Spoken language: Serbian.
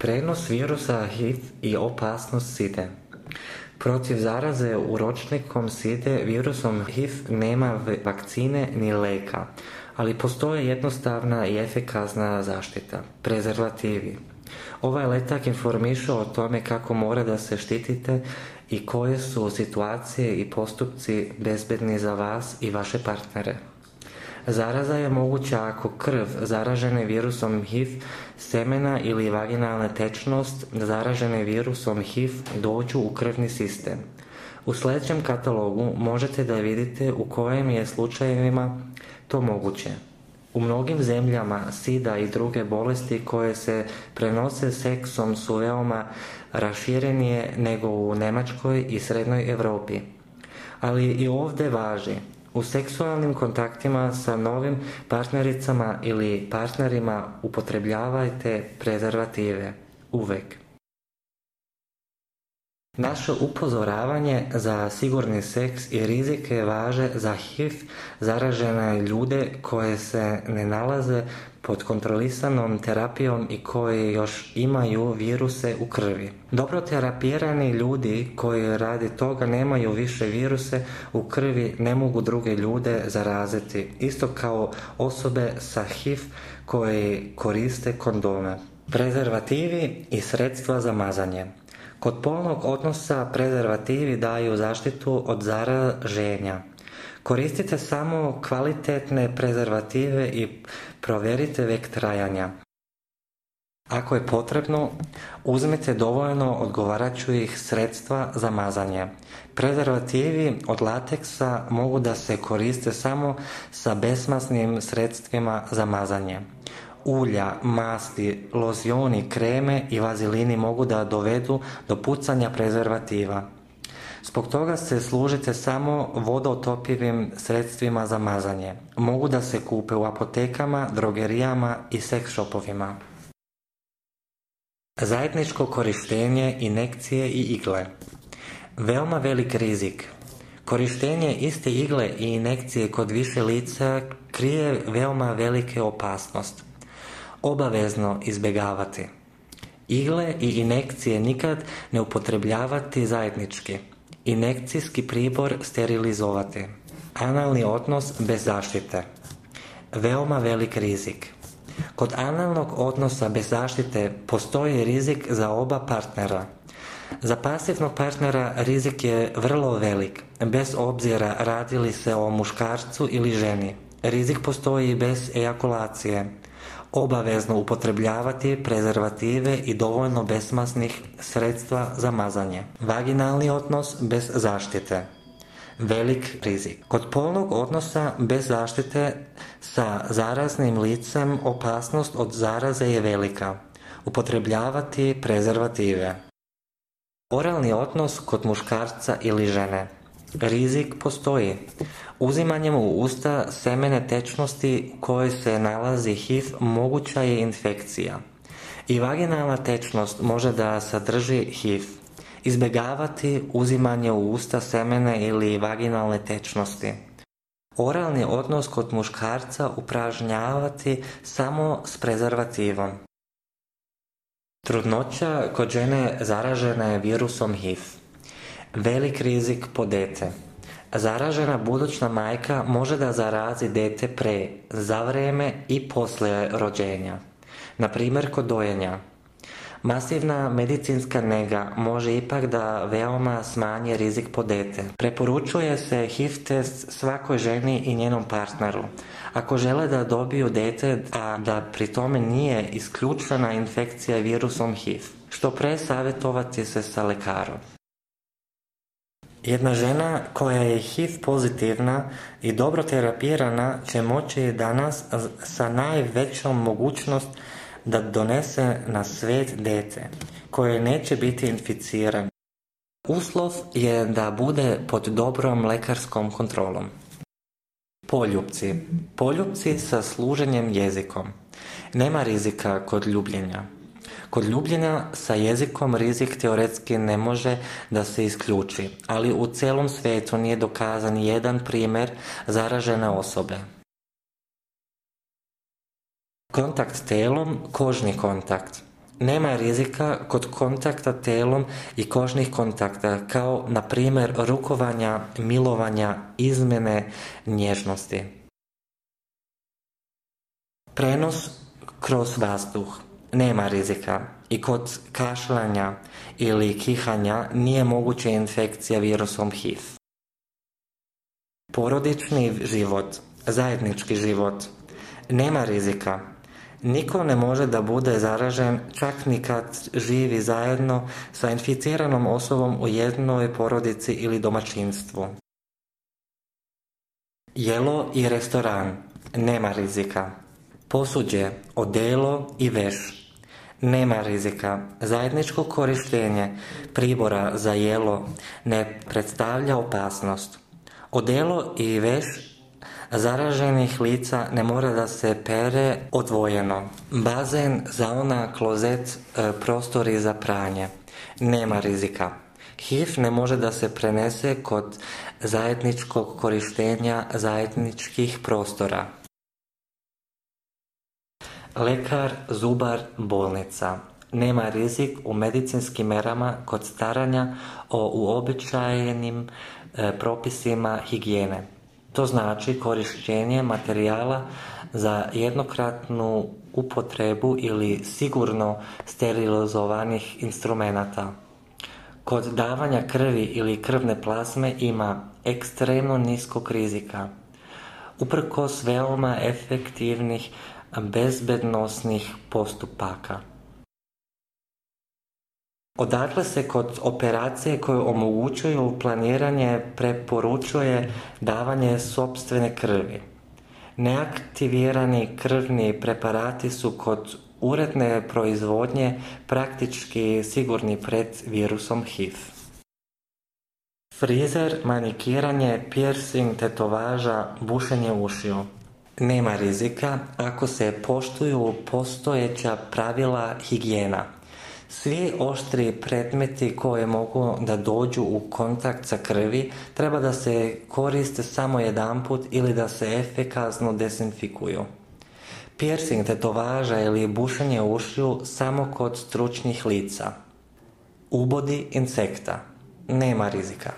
Prenos virusa HIV i opasnost side. Protiv zaraze uročnikom side virusom HIV nema vakcine ni leka, ali postoje jednostavna i efikasna zaštita, prezervativi. Ovaj letak informiše o tome kako mora da se štitite i koje su situacije i postupci bezbedni za vas i vaše partnere. Zaraza je moguća ako krv zaražene virusom HIV, semena ili vaginalna tečnost zaražene virusom HIV dođu u krvni sistem. U sljedećem katalogu možete da vidite u kojim je slučajevima to moguće. U mnogim zemljama sida i druge bolesti koje se prenose seksom su veoma raširenije nego u Njemačkoj i Srednjoj Evropi. Ali i ovdje važi. U seksualnim kontaktima sa novim partnericama ili partnerima upotrebljavajte prezervative. Uvek. Naše upozoravanje za sigurni seks i rizike važe za HIV zaražene ljude koje se ne nalaze pod kontrolisanom terapijom i koji još imaju viruse u krvi. Dobro terapirani ljudi koji radi toga nemaju više viruse u krvi ne mogu druge ljude zaraziti, isto kao osobe sa HIV koji koriste kondome. Prezervativi i sredstva za mazanje. Kod polnog odnosa prezervativi daju zaštitu od zaraženja. Koristite samo kvalitetne prezervative i provjerite vek trajanja. Ako je potrebno, uzmite dovoljno odgovarajućih sredstva za mazanje. Prezervativi od lateksa mogu da se koriste samo sa besmasnim sredstvima za mazanje. Ulja, masti, lozioni, kreme i vazilini mogu da dovedu do pucanja prezervativa. Zbog toga se služite samo vodotopivim sredstvima za mazanje. Mogu da se kupe u apotekama, drogerijama i seks shopovima. Zajedničko korištenje injekcije i igle. Veoma velik rizik. Korištenje iste igle i injekcije kod više lica krije veoma velike opasnost. Obavezno izbjegavati. Igle i injekcije nikad ne upotrebljavati zajednički. Injekcijski pribor sterilizovati. Analni odnos bez zaštite. Veoma velik rizik. Kod analnog odnosa bez zaštite postoji rizik za oba partnera. Za pasivnog partnera rizik je vrlo velik, bez obzira radi li se o muškarcu ili ženi. Rizik postoji i bez ejakulacije. Obavezno upotrebljavati prezervative i dovoljno besmasnih sredstva za mazanje. Vaginalni odnos bez zaštite. Velik rizik. Kod polnog odnosa bez zaštite sa zaraznim licem opasnost od zaraze je velika. Upotrebljavati prezervative. Oralni odnos kod muškarca ili žene. Rizik postoji. Uzimanjem u usta semene tečnosti u kojoj se nalazi HIV moguća je infekcija. I vaginalna tečnost može da sadrži HIV. Izbjegavati uzimanje u usta semene ili vaginalne tečnosti. Oralni odnos kod muškarca upražnjavati samo s prezervativom. Trudnoća kod žene zaražene virusom HIV. Velik rizik po dete. Zaražena buduća majka može da zarazi dete pre, za vreme i poslije rođenja. Na primjer kod dojenja. Masivna medicinska nega može ipak da veoma smanji rizik po dete. Preporučuje se HIV test svakoj ženi i njenom partneru. Ako žele da dobiju dete, a da pri tome nije isključena infekcija virusom HIV, što pre savjetovati se sa lekarom. Jedna žena koja je HIV pozitivna i dobro terapirana će moći danas sa najvećom mogućnost da donese na svijet dete koje neće biti inficiran. Uslov je da bude pod dobrom lekarskom kontrolom. Poljupci. Poljupci sa služenjem jezikom. Nema rizika kod ljubljenja. Kod ljubljenja sa jezikom rizik teoretski ne može da se isključi, ali u cijelom svijetu nije dokazan jedan primjer zaražene osobe. Kontakt telom, kožni kontakt. Nema rizika kod kontakta telom i kožnih kontakta, kao na primjer rukovanja, milovanja, izmjene nježnosti. Prenos kroz vazduh. Nema rizika. I kod kašljanja ili kihanja nije moguća infekcija virusom HIV. Porodični život, zajednički život. Nema rizika. Niko ne može da bude zaražen čak ni kad živi zajedno sa inficiranom osobom u jednoj porodici ili domaćinstvu. Jelo i restoran. Nema rizika. Posuđe, odelo i veš. Nema rizika. Zajedničko korištenje pribora za jelo ne predstavlja opasnost. Odelo i veš zaraženih lica ne mora da se pere odvojeno. Bazen, sauna, klozet, prostori za pranje. Nema rizika. HIV ne može da se prenese kod zajedničkog korištenja zajedničkih prostora. Lekar, zubar, bolnica. Nema rizik u medicinskim merama kod staranja o uobičajenim propisima higijene. To znači korištenje materijala za jednokratnu upotrebu ili sigurno sterilizovanih instrumenata. Kod davanja krvi ili krvne plazme ima ekstremno niskog rizika, uprkos veoma efektivnih bezbednosnih postupaka. Odatle se kod operacije koje omogućuju planiranje preporučuje davanje sopstvene krvi. Neaktivirani krvni preparati su kod uredne proizvodnje praktički sigurni pred virusom HIV. Frizer, manikiranje, piercing, tetovaža, bušenje ušiju. Nema rizika ako se poštuju postojeća pravila higijena. Svi oštri predmeti koji mogu da dođu u kontakt sa krvi treba da se koriste samo jedanput ili da se efikasno dezinfikuju. Piercing, tetovaža ili bušenje ušiju samo kod stručnih lica. Ubodi insekta. Nema rizika.